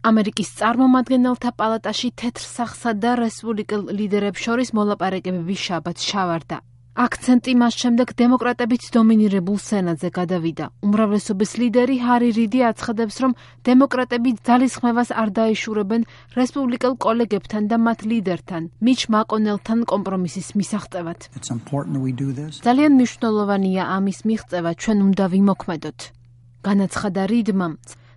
ამერიკის წარმომადგენელთა პალატაში თეთრ სახსა და რესპუბლიკელ ლიდერებს შორის მოლაპარაკებები შაბათს ჩავარდა. აქცენტი მას შემდეგ დემოკრატებით დომინირებულ სენატზე გადავიდა. უმრავლესობის ლიდერი ჰარი რიდი აცხადებს, რომ დემოკრატები ძალისხმევას არ დაეშურებენ რესპუბლიკელ კოლეგებთან და მათ ლიდერთან, მიჩ მაკონელთან კომპრომისის მისაღწევად. ძალიან მნიშვნელოვანია ამის მიღწევა, ჩვენ უნდა ვიმოქმედოთ. განაცხადა რიდმა.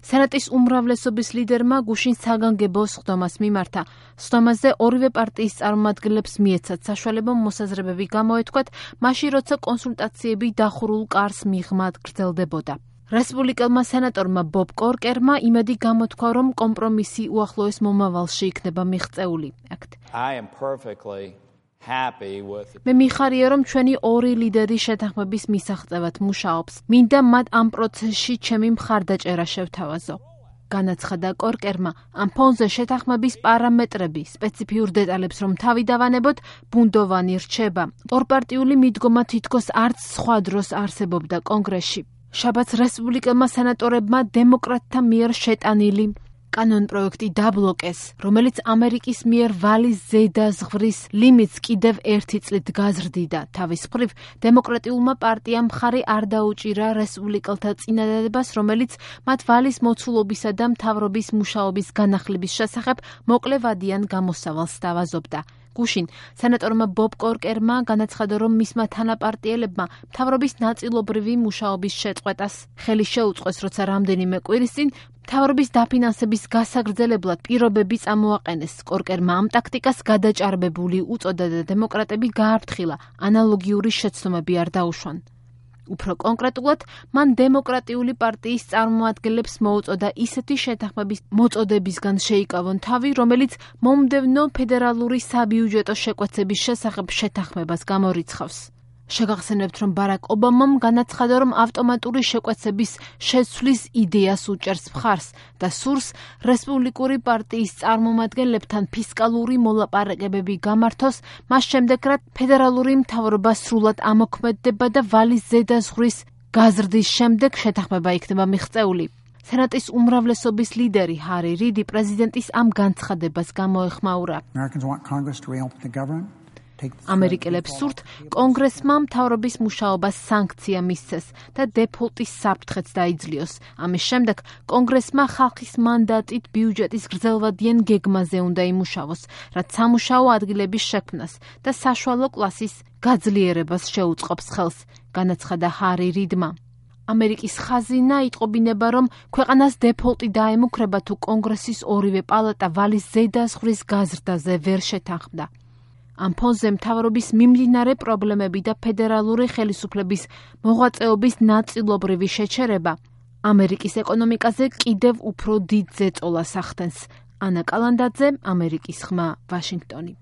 სენატის უმრავლესობის ლიდერმა გუშინ საგანგებო სხდომას მიმართა. სხდომაზე ორივე პარტიის წარმომადგენლებს მიეცათ საშუალება მოსაზრებები გამოეთქვათ, მაშინ როცა კონსულტაციები დახურულ კარს მიღმა გრძელდებოდა. რესპუბლიკელმა სენატორმა ბობ კორკერმა იმედი გამოთქვა, რომ კომპრომისი უახლოეს მომავალში იქნება მიღწეული. მე მიხარია, რომ ჩვენი ორი ლიდერი შეთანხმების მისაღწევად მუშაობს. მინდა მათ ამ პროცესში ჩემი მხარდაჭერა შევთავაზო. განაცხადა კორკერმა, ამ ფონზე შეთანხმების პარამეტრები, სპეციფიურ დეტალებს რომ თავი დავანებოთ, ბუნდოვანი რჩება. ორპარტიული მიდგომა თითქოს არც სხვა დროს არსებობდა კონგრესში. შაბათს რესპუბლიკელმა სენატორებმა დემოკრატთა მიერ შეტანილი კანონპროექტი დაბლოკეს, რომელიც ამერიკის მიერ ვალის ზედა ზღვრის ლიმიტს კიდევ 1 წლით გაზრდიდა. თავის მხრივ, დემოკრატიულმა პარტიამ მხარი არ დაუჭირა რესპუბლიკელთა წინადადებას, რომელიც მათ ვალის მოცულობისა და მთავრობის მუშაობის განახლების შესახებ მოკლევადიან გამოსავალს სთავაზობდა. გუშინ სენატორმა ბობ კორკერმა განაცხადა, რომ მისმა თანაპარტიელებმა მთავრობის ნაწილობრივი მუშაობის შეწყვეტას ხელი შეუწყეს, როცა რამდენიმე კვირის წინ მთავრობის დაფინანსების გასაგრძელებლად პირობები წამოაყენეს. კორკერმა ამ ტაქტიკას გადაჭარბებული უწოდა და დემოკრატები გააფრთხილა, ანალოგიური შეცდომები არ დაუშვან. უფრო კონკრეტულად, მან დემოკრატიული პარტიის წარმომადგენლებს მოუწოდა ისეთი შეთანხმების მოწოდებისგან შეიკავონ თავი, რომელიც მომდევნო ფედერალური საბიუჯეტო შეკვეცების შესახებ შეთანხმებას გამორიცხავს. შეგახსენებთ, რომ ბარაკ ობამამ განაცხადა, რომ ავტომატური შეკვეცების შეცვლის იდეას უჭერს მხარს და სურს რესპუბლიკური პარტიის წარმომადგენლებთან ფისკალური მოლაპარაკებები გამართოს, მას შემდეგ, რაც ფედერალური მთავრობა სრულად ამოქმედდება და ვალის ზედა ზღვრის გაზრდის შემდეგ შეთანხმება იქნება მიღწეული. სენატის უმრავლესობის ლიდერი ჰარი რიდი პრეზიდენტის ამ განცხადებას გამოეხმაურა. ამერიკელებს სურთ კონგრესმა მთავრობის მუშაობას სანქცია მისცეს და დეფოლტის საფრთხეც დაიძლიოს. ამის შემდეგ კონგრესმა ხალხის მანდატით ბიუჯეტის გრძელვადიან გეგმაზე უნდა იმუშავოს, რაც სამუშაო ადგილების შექმნას და საშუალო კლასის გაძლიერებას შეუწყობს ხელს, განაცხადა ჰარი რიდმა. ამერიკის ხაზინა იტყობინება, რომ ქვეყანას დეფოლტი დაემუქრება, თუ კონგრესის ორივე პალატა ვალის ზედა ზღვრის გაზრდაზე ვერ შეთანხმდა. ამ ფონზე მთავრობის მიმდინარე პრობლემები და ფედერალური ხელისუფლების მოღვაწეობის ნაწილობრივი შეჩერება ამერიკის ეკონომიკაზე კიდევ უფრო დიდ ზეწოლას ახდენს. ანა კალანდაძე, ამერიკის ხმა, ვაშინგტონი.